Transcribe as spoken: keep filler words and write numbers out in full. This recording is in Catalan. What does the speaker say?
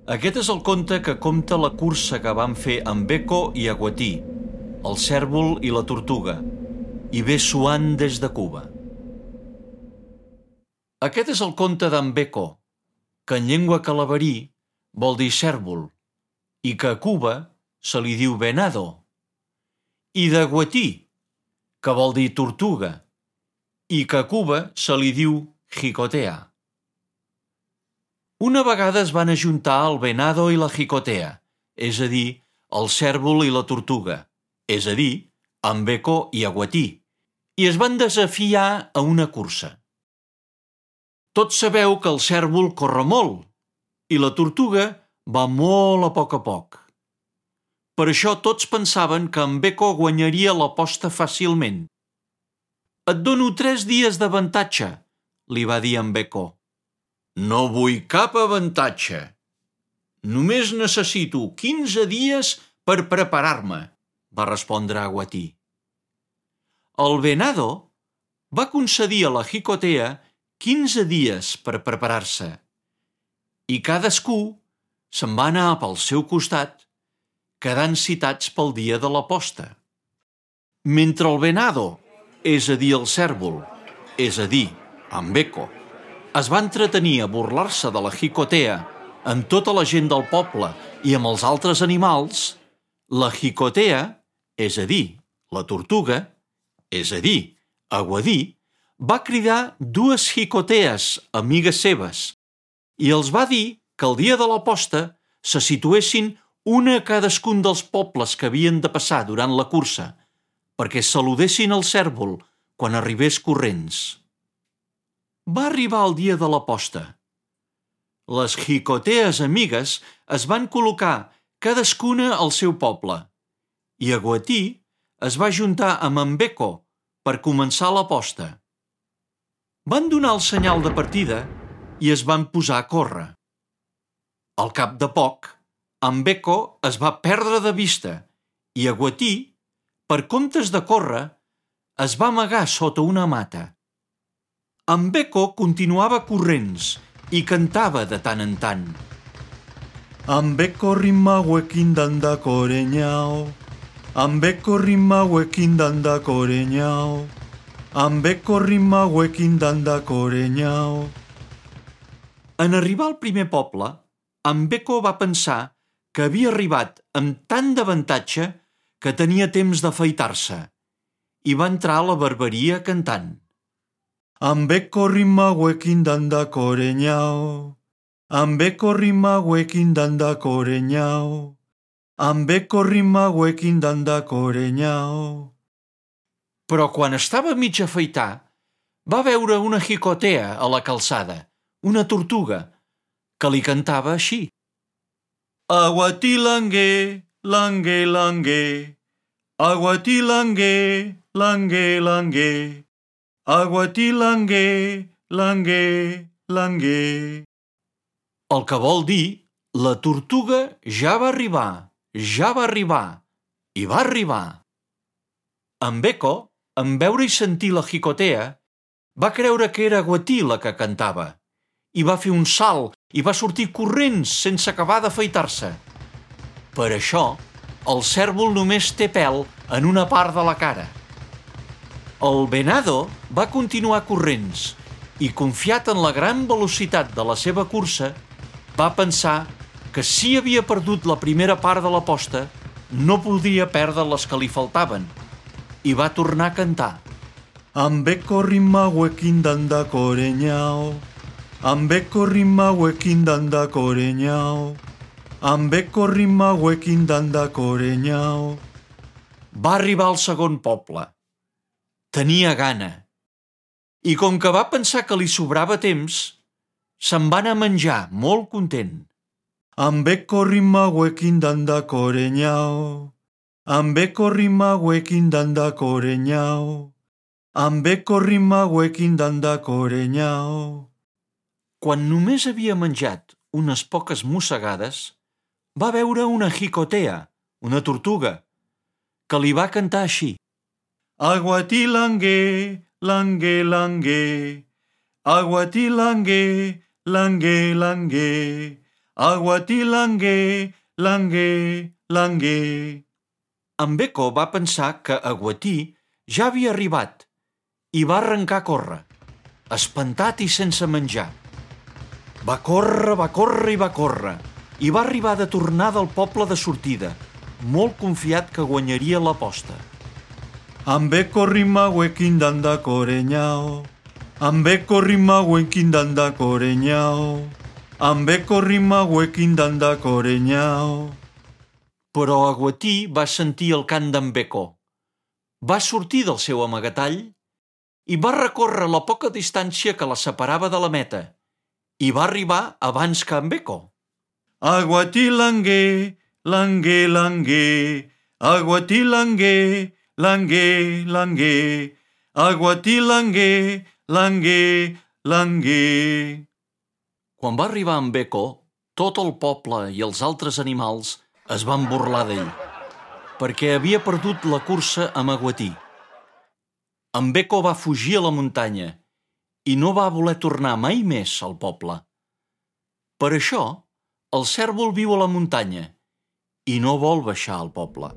Aquest és el conte que compta la cursa que van fer en Beko i Agouti, el cèrvol i la tortuga, i ve suant des de Cuba. Aquest és el conte d'en Beko, que en llengua calaverí vol dir cèrvol, i que a Cuba se li diu venado, i d'Agouti, que vol dir tortuga, i que a Cuba se li diu jicotea. Una vegada es van ajuntar el venado i la jicotea, és a dir, el cèrvol i la tortuga, és a dir, en Beko i Agouti, i es van desafiar a una cursa. Tots sabeu que el cèrvol corre molt i la tortuga va molt a poc a poc. Per això tots pensaven que en Beko guanyaria l'aposta fàcilment. «Et dono tres dies d'avantatge», li va dir en Beko. «No vull cap avantatge. Només necessito quinze dies per preparar-me», va respondre Agouti. El venado va concedir a la jicotea quinze dies per preparar-se i cadascú se'n va anar pel seu costat, quedant citats pel dia de l'aposta. Mentre el venado, és a dir, el cèrvol, és a dir, en Beko, es va entretenir a burlar-se de la jicotea amb tota la gent del poble i amb els altres animals, la jicotea, és a dir, la tortuga, és a dir, Agouti, va cridar dues jicotees, amigues seves, i els va dir que el dia de l'aposta se situessin una a cadascun dels pobles que havien de passar durant la cursa, perquè saludessin el cèrvol quan arribés corrents. Va arribar el dia de l'aposta. Les jicotees amigues es van col·locar cadascuna al seu poble i Agouti es va juntar amb en Beko per començar l'aposta. Van donar el senyal de partida i es van posar a córrer. Al cap de poc, en Beko es va perdre de vista i Agouti, per comptes de córrer, es va amagar sota una mata. En Beko continuava corrents i cantava de tant en tant. En Beko rima hauekin danda koreñao, en Beko rima hauekin danda koreñao, en Beko rima hauekin danda koreñao. En arribar al primer poble, en Beko va pensar que havia arribat amb tant d'avantatge que tenia temps d'afaitar-se i va entrar a la barberia cantant. En Beko rima hauekin danda koreñao, en Beko rima hauekin danda koreñao, en Beko rima hauekin danda koreñao. Però quan estava mig afaitar, va veure una jicotea a la calçada, una tortuga, que li cantava així. Agouti langue, langue, langue, Agouti langue, langue, langue, Agouti langue, langue, langue. El que vol dir, la tortuga ja va arribar, ja va arribar, i va arribar. En Beko, en veure i sentir la jicotea, va creure que era Agouti la que cantava, i va fer un salt i va sortir corrents sense acabar d'afaitar-se. Per això, el cèrvol només té pèl en una part de la cara. El venado va continuar corrents i, confiat en la gran velocitat de la seva cursa, va pensar que si havia perdut la primera part de l'aposta, no podria perdre les que li faltaven, i va tornar a cantar. En Beko rima hauekin danda koreñao, en Beko rima hauekin danda koreñao, en Beko rima hauekin danda koreñao. Va arribar al segon poble. Tenia gana. I com que va pensar que li sobrava temps, se'n va anar a menjar molt content. En Beko rima hauekin danda koreñao, en Beko rima hauekin danda koreñao, en Beko rima hauekin danda koreñao. Quan només havia menjat unes poques mossegades, va veure una jicotea, una tortuga, que li va cantar així. Agouti langue, langue, langue, Agouti langue, langue, langue, Aguatí Languer, Languer, Languer. En Beco va pensar que Aguatí ja havia arribat i va arrencar a córrer, espantat i sense menjar. Va córrer, va córrer i va córrer, i va arribar de tornada al poble de sortida, molt confiat que guanyaria l'aposta. En Beco rimahuequín danda coreñao, en Beco rimahuequín danda coreñao, en Beco rimahuequín danda coreñao. Però Aguatí va sentir el cant d'en Beco. Va sortir del seu amagatall i va recórrer la poca distància que la separava de la meta i va arribar abans que en Beco. Aguatí Languer, Languer, Languer, Aguatí Languer, Languer, Languer, Aguatí Languer, Languer, Languer. Quan va arribar en Beco, tot el poble i els altres animals es van burlar d'ell, perquè havia perdut la cursa amb Aguatí. En Beco va fugir a la muntanya i no va voler tornar mai més al poble. Per això, el cèrvol viu a la muntanya i no vol baixar al poble.